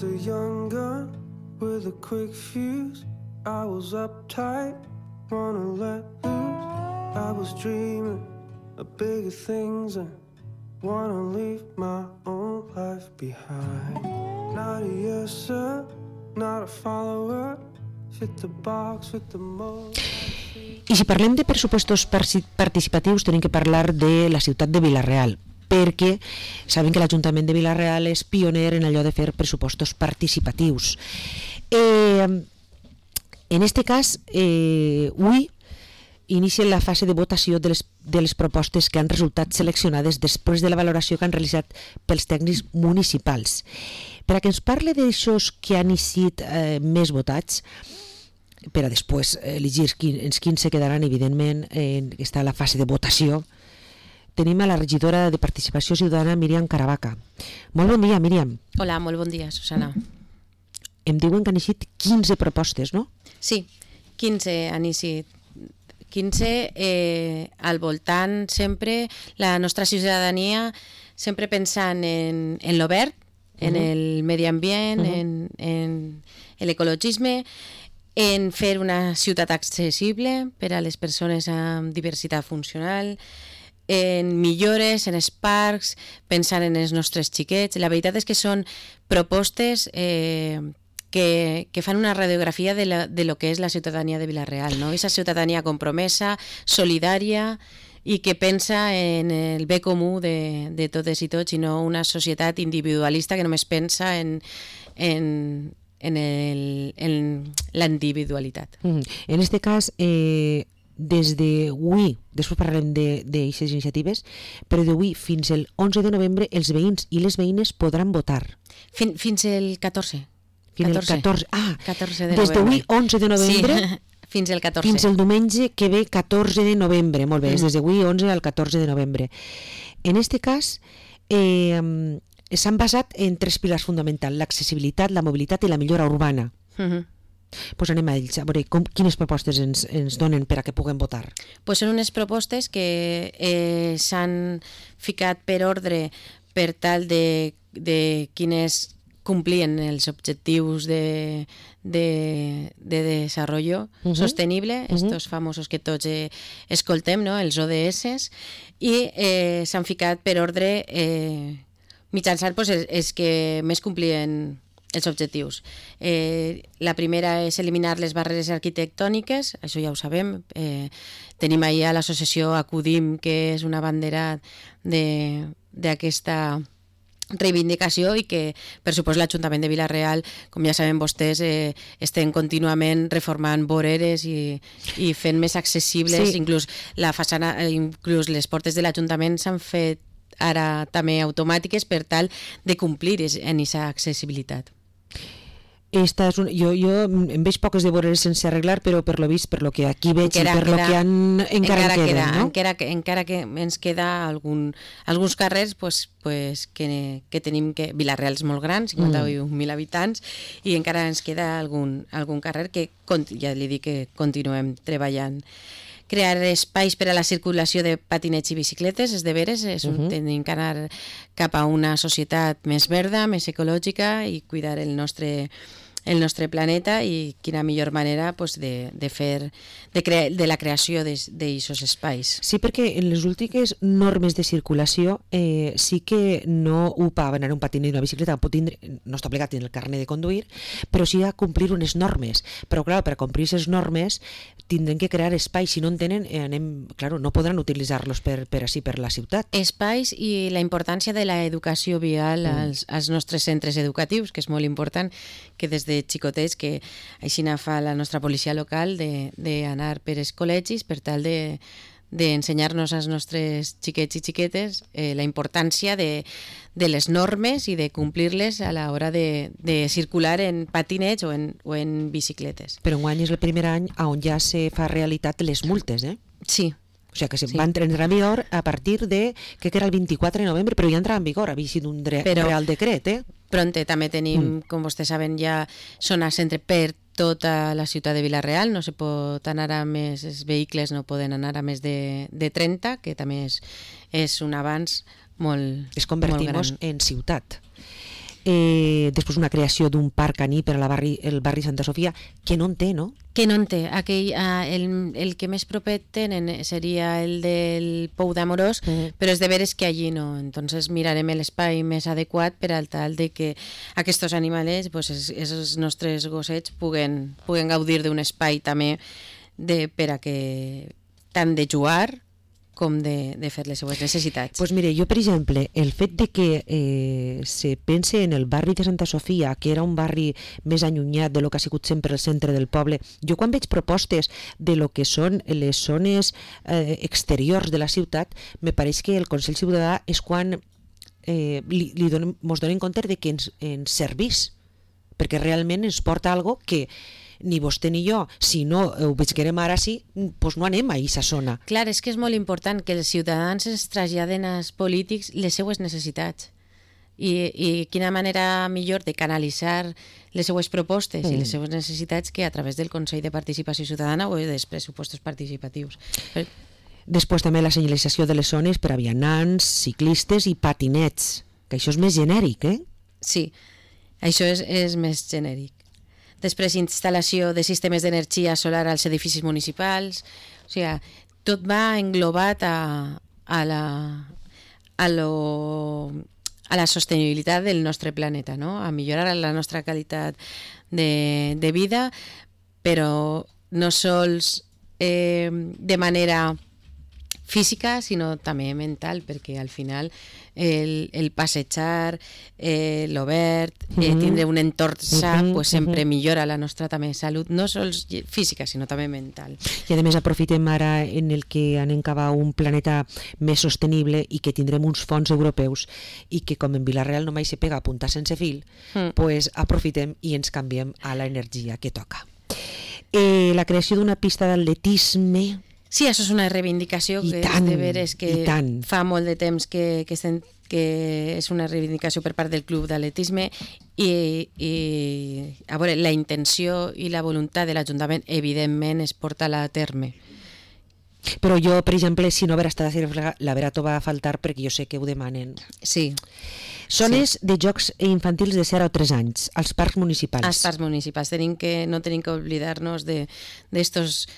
A young gun with a quick fuse. I was uptight, wanna let loose. I was dreaming of bigger things and wanna leave my own life behind. Not a yes sir, not a follower. Fit the box, fit the mold. I si parlem de pressupostos participatius tenim que parlar de la ciutat de Vila-real, perquè saben que l'Ajuntament de Vila-real és pioner en allò de fer pressupostos participatius. En este cas, avui inicien la fase de votació de les propostes que han resultat seleccionades després de la valoració que han realitzat pels tècnics municipals. Per a que ens parle d'aixòs que han sigut més votats, per a després elegir els quins se quedaran, evidentment, està la fase de votació, tenim a la regidora de Participació Ciutadana, Míriam Caravaca. Molt bon dia, Míriam. Hola, molt bon dia, Susana. Em diuen que han eixit 15 propostes, no? Sí, 15 han eixit. 15 al voltant sempre, la nostra ciutadania sempre pensant en l'obert, en el medi ambient, en l'ecologisme, en fer una ciutat accessible per a les persones amb diversitat funcional, en millores, en els parcs, pensant en els nostres xiquets. La veritat és que són propostes que fan una radiografia de lo que és la ciutadania de Vila-real, no? Esa ciutadania compromesa, solidària i que pensa en el bé comú de totes i tots i no una societat individualista que només pensa en la individualitat. En este cas, des d'avui, després parlarem d'aixes iniciatives, però d'avui fins el 11 de novembre els veïns i les veïnes podran votar. Fins el 14. Fins el 14. 14 de des d'avui 11 de novembre fins el 14. Fins el diumenge que ve 14 de novembre. Molt bé, és des d'avui 11 al 14 de novembre. En este cas, s'han basat en 3 pilars fonamentals: l'accessibilitat, la mobilitat i la millora urbana. Pues anem a ells, a veure quines propostes ens donen per a que puguem votar. Pues són unes propostes que s'han ficat per ordre per tal de quines complien els objectius de desarrollo sostenible, estos famosos que tots escoltem, no? Els ODS, i s'han ficat per ordre mitjançant els que més complien els objectius. La primera és eliminar les barreres arquitectòniques, això ja ho sabem. Tenim allà l'associació Acudim, que és una bandera d'aquesta reivindicació i que, per supost, l'Ajuntament de Vila-real, com ja saben vostès, estem contínuament reformant voreres i fent més accessibles. Inclús la façana, inclús les portes de l'Ajuntament s'han fet ara també automàtiques per tal de complir en aquesta accessibilitat. Jo em veig poques de voreres sense arreglar, però per lo vist, per lo que aquí veig i per lo que han encara queda, no? Encara que ens queda alguns carrers que tenim, que Vila-real és molt gran, 51.000 habitants, i encara ens queda algun carrer que ja li dic que continuem treballant. Crear espais per a la circulació de patinets i bicicletes, és de veres, tenim que anar cap a una societat més verda, més ecològica i cuidar el nostre planeta, i quina millor manera de la creació d'aquests espais. Sí, perquè en les últimes normes de circulació sí que no ho per anar un patinet o una bicicleta no està obligat en el carnet de conduir, però sí a complir unes normes. Però clar, per a complir aquestes normes tindrem que crear espais. Si no en tenen, no podran utilitzar-los per la ciutat. Espais i la importància de l'educació vial als nostres centres educatius, que és molt important, que des de xicotets, que així fa la nostra policia local, d'anar per els col·legis per tal d'ensenyar-nos als nostres xiquets i xiquetes la importància de les normes i de complir-les a l'hora de circular en patinets o en bicicletes. Però enguany és el primer any on ja se fa realitat les multes, eh? Sí. O sigui que va entrar en vigor a partir de, que era el 24 de novembre, però ja entrava en vigor, havia sigut un real decret, Pronte també tenim, com vostès saben, ja zones centre per tota la ciutat de Vila-real, no se pot anar a més, els vehicles no poden anar a més de 30, que també és un avanç molt gran. Es convertimos en ciutat. després una creació d'un parc caní per el barri Santa Sofia, que no en té, no? Que no en té. El que més propet tenen seria el del Pou d'Amorós, però és de veres que allí no. Entonces mirarem l'espai més adequat per al tal de que aquests animals, pues, els nostres gossets, puguen gaudir d'un espai també per a que tant de jugar com de fer les seues necessitats. Pues mire, jo, per exemple, el fet de que se pense en el barri de Santa Sofia, que era un barri més allunyat de lo que ha sigut sempre el centre del poble, jo quan veig propostes de lo que són les zones exteriors de la ciutat, me pareix que el Consell Ciutadà és quan mos donem compte de que ens servís, perquè realment ens porta algo que ni vostè ni jo, si no ho veiem ara sí, doncs no anem a aquesta zona. Clar, és que és molt important que els ciutadans ens traslladen als polítics les seues necessitats. I quina manera millor de canalitzar les seues propostes i les seues necessitats que a través del Consell de Participació Ciutadana o dels pressupostos participatius. Després també la senyalització de les zones per a vianants, ciclistes i patinets, que això és més genèric, eh? Sí, això és més genèric. Després, instal·lació de sistemes d'energia solar als edificis municipals. O sigui, tot va englobat a la sostenibilitat del nostre planeta, no? A millorar la nostra qualitat de vida, però no sols de manera física, sinó també mental, perquè al final el passejar, l'obert, tindre un entorn sa, pues sempre millora la nostra també salut, no sols física, sinó també mental. I a més aprofitem ara en el que anem cap a un planeta més sostenible i que tindrem uns fons europeus i que com en Vila-real només se pega a puntar sense fil, pues aprofitem i ens canviem a l'energia que toca. La creació d'una pista d'atletisme. Sí, això és una reivindicació que és de veres que fa molt de temps que és una reivindicació per part del club d'atletisme i a veure, la intenció i la voluntat de l'Ajuntament evidentment es porta a terme. Però jo, per exemple, si no haver estat a Cireflega, la vera troba a faltar perquè jo sé que ho demanen. Sí. Zones de jocs infantils de 0 a 3 anys, als parcs municipals. Als parcs municipals. No tenim que oblidar-nos d'estos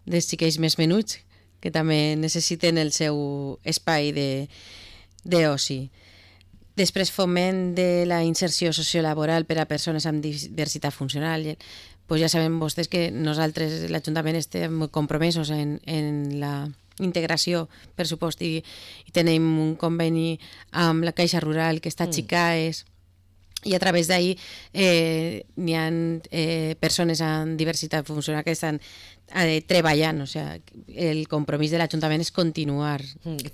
dels xiquets més menuts, que també necessiten el seu espai d'oci. Després, foment de la inserció sociolaboral per a persones amb diversitat funcional. Pues ja saben vostès que nosaltres, l'Ajuntament, estem compromesos en la integració, per supost, i tenim un conveni amb la Caixa Rural que està a Xicaes, i a través d'ahir n'hi ha persones amb diversitat funcional que estan treballant, o sigui, el compromís de l'Ajuntament és continuar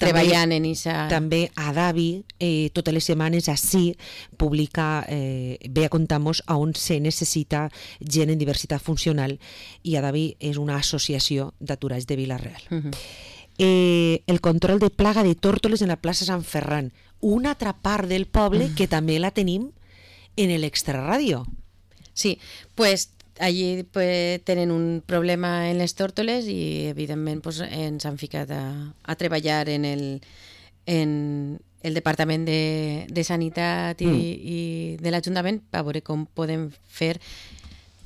treballant en això. També Adavi, totes les setmanes així publica, ve a contar-nos on se necessita gent en diversitat funcional, i Adavi és una associació d'aturats de Vila-real. El control de plaga de tórtoles en la plaça Sant Ferran, una altra part del poble que també la tenim en l'Extraràdio. Sí, pues allí tenen un problema en les tórtoles i evidentment ens han ficat a treballar en el Departament de Sanitat i de l'Ajuntament per veure com podem fer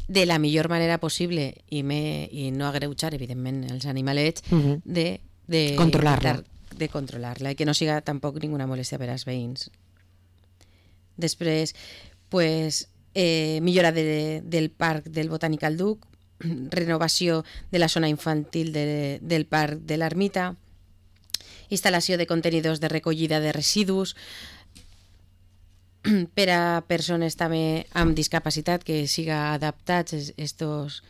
de la millor manera possible i no agreujar evidentment els animalets de controlar-la i que no siga tampoc ninguna molèstia per als veïns. Després, millora del Parc del Botànical Duc, renovació de la zona infantil del Parc de l'Ermita, instal·lació de contenidors de recollida de residus per a persones també amb discapacitat, que siga adaptats estos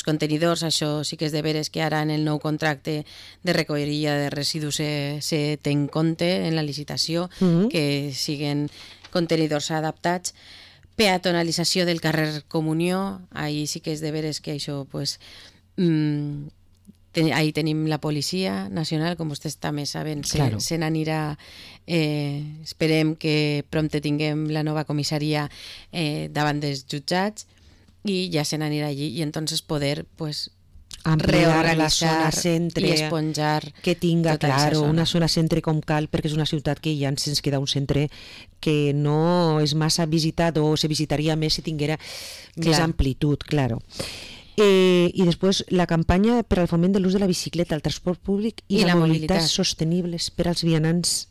contenidors. Això sí que és de veres que ara en el nou contracte de recollida de residus se té en compte en la licitació, que siguen contenidors adaptats. Peatonalització del carrer Comunió, ahí sí que és de veres que això, ahí tenim la Policia Nacional, com vostès també saben, se n'anirà, esperem que prompte tinguem la nova comissaria davant dels jutjats, i ja se n'anirà allí, i entonces poder ampliar la zona reorganitzar centre, i esponjar que tinga, tota aquesta claro, zona. una zona centre com cal, perquè és una ciutat que ja ens queda un centre que no és massa visitat o se visitaria més si tinguera més Clar. amplitud, claro. I després la campanya per al foment de l'ús de la bicicleta, el transport públic i la mobilitat sostenibles per als vianants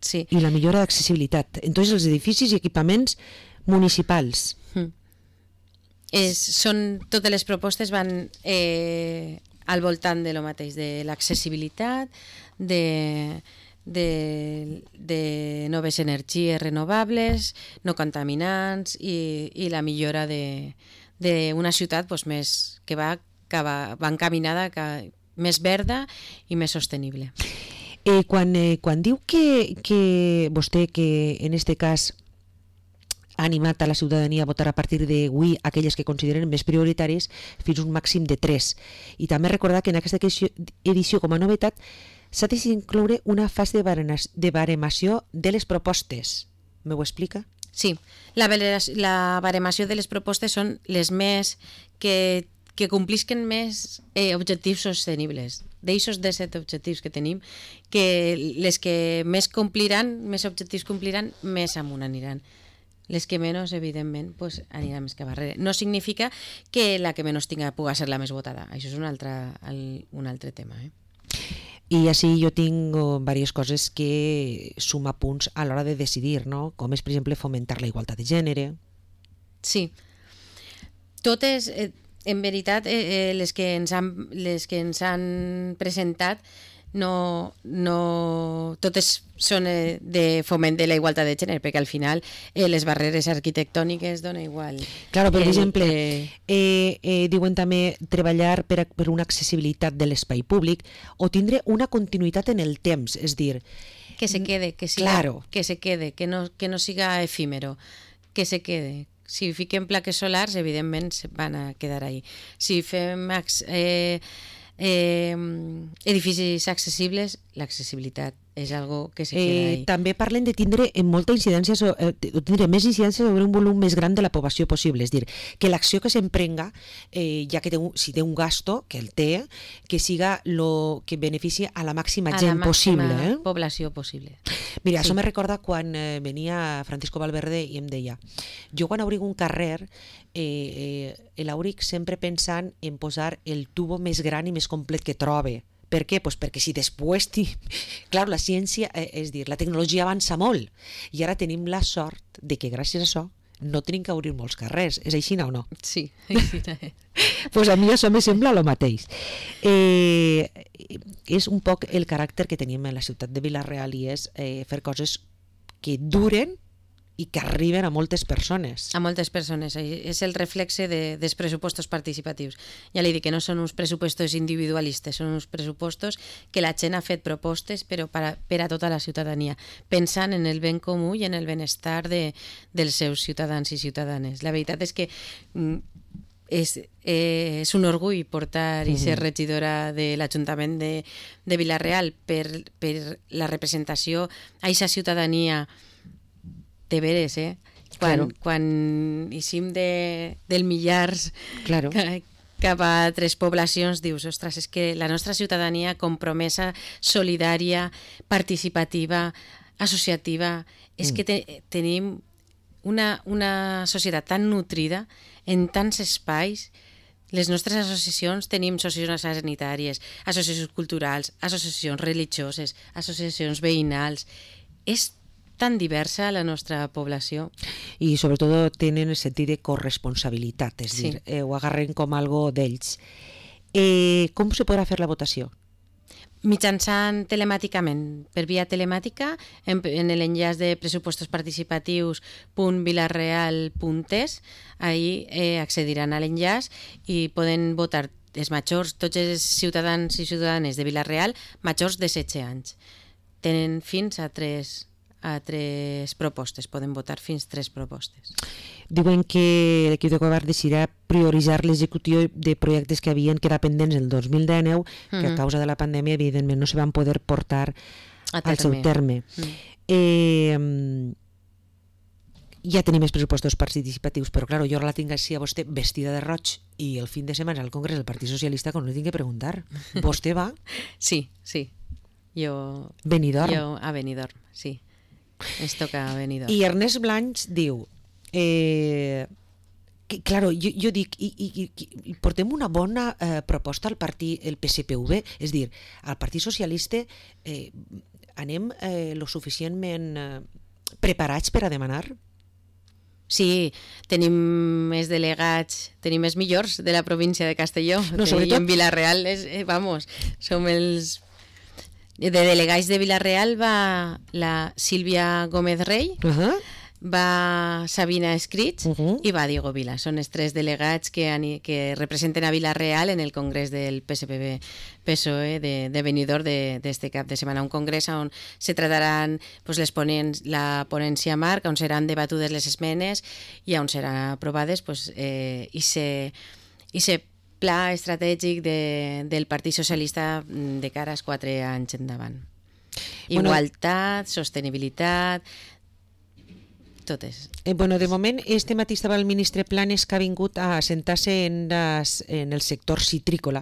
Sí. i la millora d'accessibilitat en tots els edificis i equipaments municipals. Totes les propostes van al voltant de lo mateix, de l'accessibilitat, de noves energies renovables, no contaminants i la millora d'una ciutat pues, més que va encaminada més verda i més sostenible. Quan diu que vostè, que en este cas ha animat a la ciutadania a votar a partir d'avui aquelles que consideren més prioritaris fins a un màxim de 3. I també recordar que en aquesta edició com a novetat s'ha d'incloure una fase de baremació de les propostes. Me ho explica? Sí, la baremació de les propostes són les més que complisquen més objectius sostenibles. D'eixos 17 objectius que tenim, que les que més objectius compliran, més amunt aniran. Les que menys, evidentment, pues, aniran més cap darrere. No significa que la que menys tinga pugui ser la més votada. Això és un altre tema. I així jo tinc diverses coses que suma punts a l'hora de decidir, no? Com és, per exemple, fomentar la igualtat de gènere. Sí. Totes, en veritat, les que ens han presentat no totes són de foment de la igualtat de gènere, perquè al final les barreres arquitectòniques dona igual. Claro, per exemple, diuen també treballar per una accessibilitat de l'espai públic o tindre una continuïtat en el temps, és dir... Que se quede, que no siga efímero, que se quede. Si fiquem plaques solars, evidentment van a quedar ahí. Si fem edificis accessibles, l'accessibilitat és algo que se queda ahí. També parlen de tindre molta incidència tindre més incidència sobre un volum més gran de la població possible, és dir, que l'acció que s'emprenga, ja que si té un gasto, que el té, que siga lo que beneficia a la màxima gent possible. A la màxima població possible. Mira, això me recorda quan venia Francisco Valverde i em deia, jo quan obrig un carrer l'obrig sempre pensant en posar el tubo més gran i més complet que trobe. Per què? Pues perquè si després... Clar, la ciència, és dir, la tecnologia avança molt i ara tenim la sort de que gràcies a això no tenim que obrir molts carrers. És així o no? Sí, així és. Pues a mi això me sembla el mateix. És un poc el caràcter que tenim en la ciutat de Vila-real i és fer coses que duren i que arriben a moltes persones. A moltes persones. És el reflexe dels pressupostos participatius. Ja li dic que no són uns pressupostos individualistes, són uns pressupostos que la gent ha fet propostes però per a tota la ciutadania, pensant en el ben comú i en el benestar dels seus ciutadans i ciutadanes. La veritat és que és un orgull portar i ser regidora de l'Ajuntament de Vila-real per la representació a aquesta ciutadania de veres, quan eixim del millars cap a altres poblacions, dius, ostres, és que la nostra ciutadania compromesa, solidària, participativa, associativa, és que tenim una societat tan nutrida en tants espais. Les nostres associacions tenim associacions sanitàries, associacions culturals, associacions religioses, associacions veïnals. És tan diversa la nostra població. I sobretot tenen el sentit de corresponsabilitat, és dir, ho agarren com algo d'ells. Com se podrà fer la votació? Mitjançant telemàticament, per via telemàtica, en l'enllaç de pressupostos.participatius.vilareal.es, ahí accediran a l'enllaç i poden votar els majors, tots els ciutadans i ciutadanes de Vila-real, majors de 16 anys. Tenen fins a tres propostes, poden votar fins 3 propostes. Diuen que l'equip de govern decidirà prioritzar l'execució de projectes que havien quedat pendents el 2019, que a causa de la pandèmia evidentment no se van poder portar al seu terme. ja tenim els pressupostos participatius, però clar, jo ara la tinc així a vostè vestida de roig i el fin de setmana al Congrés del Partit Socialista com no li tinc que preguntar. Vostè va? Sí. Benidorm. Jo a Benidorm, sí. Ens toca a Benidorm. I Ernest Blanch diu que, claro, jo dic i portem una bona proposta al partit, el PSPV, és dir, al Partit Socialista anem lo suficientment preparats per a demanar? Sí, tenim els delegats, tenim els millors de la província de Castelló. No, sobretot... I en Vila-real, som els... De delegats de Vila-real va la Sílvia Gómez Rey, va Sabina Escrits i va Diego Vila. Són els tres delegats que representen a Vila-real en el congrés del PSPV-PSOE de Benidorm d'este cap de setmana. Un congrés on se trataran la ponència marc, on seran debatudes les esmenes i on seran aprovades i se pla estratègic del Partit Socialista de cara als 4 anys endavant. Igualtat, sostenibilitat, totes. De moment, este matí estava el ministre Planes, que ha vingut a assentar-se en el sector citrícola,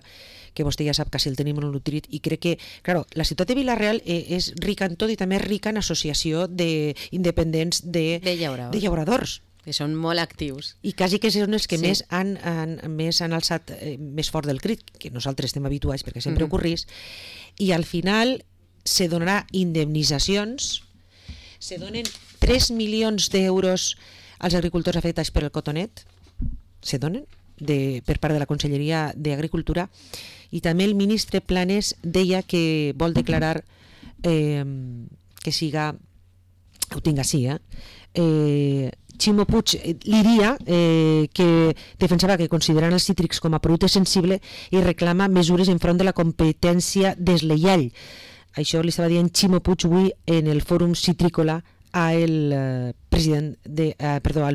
que vostè ja sap que si el tenim molt nutrit, i crec que, claro, la ciutat de Vila-real és rica en tot i també és rica en associació d'independents de llauradors. Que són molt actius. I quasi que són els que més han alçat més fort del crit, que nosaltres estem habituats perquè sempre ocorrís, i al final se donarà indemnitzacions, se donen 3 milions d'euros als agricultors afectats per el cotonet, se donen per part de la Conselleria d'Agricultura, i també el ministre Planes deia que vol declarar que siga, ho tinc així, Ximo Puig Liria, que defensava que consideren els cítrics com a producte sensible i reclama mesures enfront de la competència desleial. Això li estava dient Ximo Puig avui en el fòrum citrícola al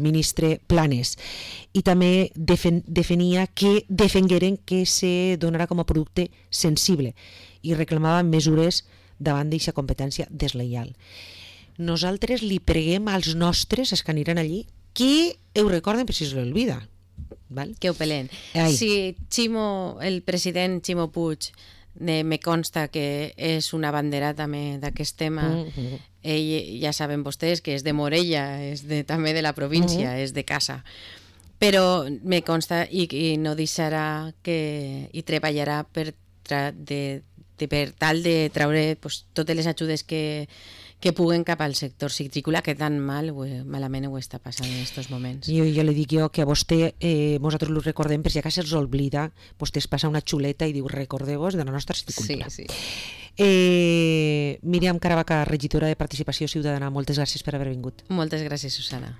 ministre Planes, i també defenia que defengueren que se donarà com a producte sensible i reclamava mesures davant d'aquesta competència desleial. Nosaltres li preguem als nostres, els que aniran allí, que ho recorden per si se l'olvida. Que ho pelen. Si el president Ximo Puig me consta que és una bandera també d'aquest tema, ell ja saben vostès que és de Morella, és també de la província, és de casa, però me consta i no deixarà i treballarà per tal de treure totes les ajudes que puguen cap al sector citrícola, que tan malament ho està passant en aquests moments. Jo li dic que a vostè, nosaltres ho recordem, per si acaso se'ls oblida, vostè es passa una xuleta i diu recordeu-vos de la nostra citicultura. Sí. Míriam Caravaca, regidora de Participació Ciutadana, moltes gràcies per haver vingut. Moltes gràcies, Susana.